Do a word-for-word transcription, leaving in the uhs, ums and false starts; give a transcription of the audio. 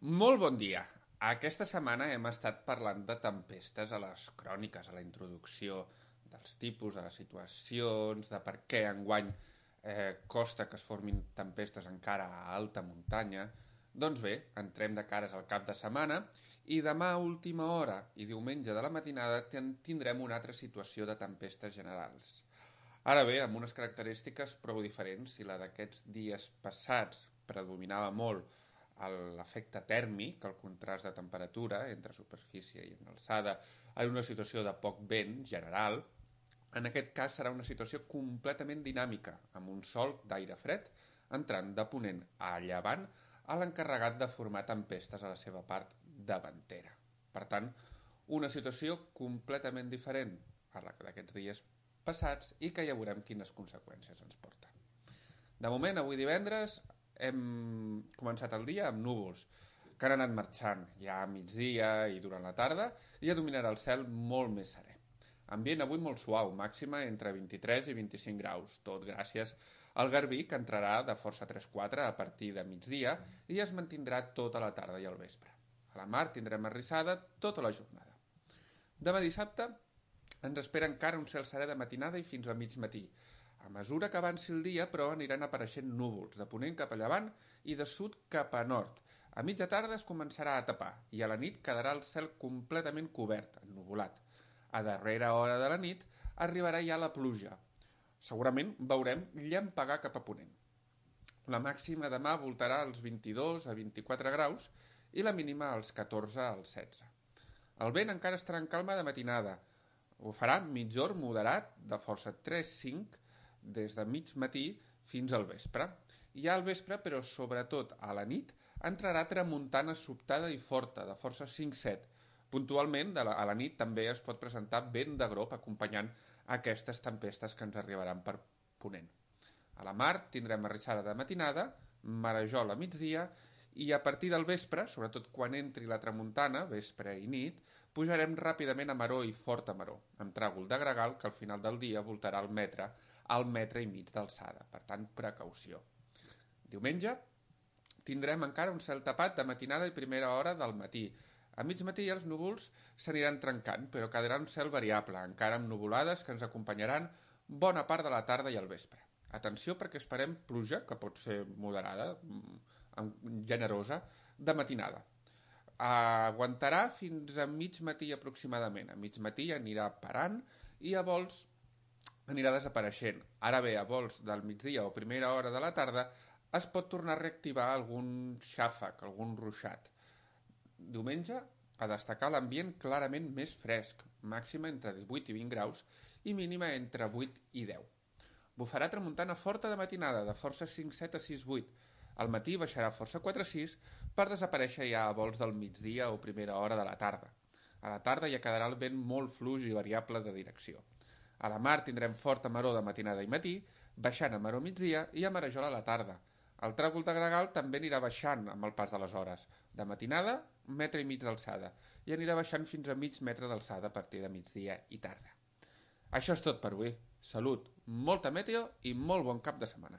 Molt bon dia. Aquesta setmana hem estat parlant de tempestes a les cròniques, a la introducció dels tipus, a les situacions, de per què enguany eh, costa que es formin tempestes encara a alta muntanya. Doncs bé, entrem de cares al cap de setmana i demà a última hora i diumenge de la matinada tindrem una altra situació de tempestes generals. Ara bé, amb unes característiques prou diferents, si la d'aquests dies passats predominava molt l'efecte tèrmic, el contrast de temperatura entre superfície i en alçada, en una situació de poc vent general, en aquest cas serà una situació completament dinàmica, amb un sol d'aire fred entrant de ponent a llevant a l'encarregat de formar tempestes a la seva part davantera. Per tant, una situació completament diferent a la d'aquests dies passats i que ja veurem quines conseqüències ens porta. De moment, avui divendres, hem començat el dia amb núvols que han anat marxant ja a migdia i durant la tarda i ja dominarà el cel molt més serè. Ambient avui molt suau, màxima entre vint-i-tres i vint-i-cinc graus, tot gràcies al garbí que entrarà de força tres quatre a partir de migdia i es mantindrà tota la tarda i el vespre. A la mar tindrem arrissada tota la jornada. Demà dissabte ens espera encara un cel serè de matinada i fins a mig matí. A mesura que avanci el dia, però, aniran apareixent núvols, de ponent cap a llevant i de sud cap a nord. A mitja tarda es començarà a tapar i a la nit quedarà el cel completament cobert, ennuvolat. A darrera hora de la nit arribarà ja la pluja. Segurament veurem llampegar cap a ponent. La màxima demà voltarà als vint-i-dos a vint-i-quatre graus i la mínima als catorze als setze. El vent encara estarà en calma de matinada. Ho farà mitjor moderat de força tres cinc des de mig matí fins al vespre. I al vespre, però sobretot a la nit, entrarà tramuntana sobtada i forta, de força cinc set. Puntualment, a la nit també es pot presentar vent de grop acompanyant aquestes tempestes que ens arribaran per ponent. A la mar tindrem arrissada de matinada, marejol a migdia, i a partir del vespre, sobretot quan entri la tramuntana, vespre i nit, pujarem ràpidament a maró i forta maró, amb tràgol de gregal que al final del dia voltarà al metre, al metre i mig d'alçada. Per tant, precaució. Diumenge tindrem encara un cel tapat de matinada i primera hora del matí. A mig matí els núvols s'aniran trencant, però quedarà un cel variable, encara amb nuvolades que ens acompanyaran bona part de la tarda i el vespre. Atenció perquè esperem pluja, que pot ser moderada, generosa, de matinada. Aguantarà fins a mig matí aproximadament. A mig matí anirà parant i a vols anirà desapareixent. Ara bé, a vols del migdia o primera hora de la tarda es pot tornar a reactivar algun xàfec, algun ruixat. Diumenge, a destacar l'ambient clarament més fresc, màxima entre divuit i vint graus i mínima entre vuit i deu. Bufarà tramuntana forta de matinada, de força cinc set a sis vuit. Al matí baixarà força quatre sis per desaparèixer ja a vols del migdia o primera hora de la tarda. A la tarda ja quedarà el vent molt fluix i variable de direcció. A la mar tindrem forta maró de matinada i matí, baixant a maró migdia i a marejol a la tarda. El tràgol de gregal també anirà baixant amb el pas de les hores. De matinada, un metre i mig d'alçada, i anirà baixant fins a mig metre d'alçada a partir de migdia i tarda. Això és tot per avui. Salut, molta meteo i molt bon cap de setmana.